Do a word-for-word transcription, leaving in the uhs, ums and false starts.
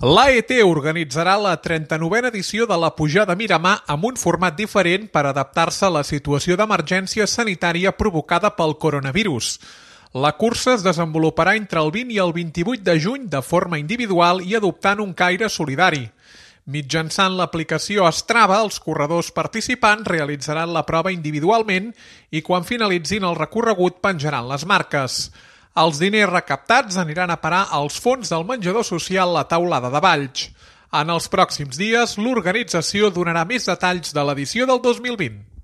L'A E T organitzarà la trenta-novena edició de la Pujada Miramar amb un format diferent per adaptar-se a la situació d'emergència sanitària provocada pel coronavirus. La cursa es desenvoluparà entre el vint i el vint-i-vuit de juny de forma individual i adoptant un caire solidari. Mitjançant l'aplicació Strava, els corredors participants realitzaran la prova individualment i quan finalitzin el recorregut penjaran les marques. Els diners recaptats aniran a parar als fons del menjador social La Taulada de Valls. En els pròxims dies, l'organització donarà més detalls de l'edició del dos mil vint.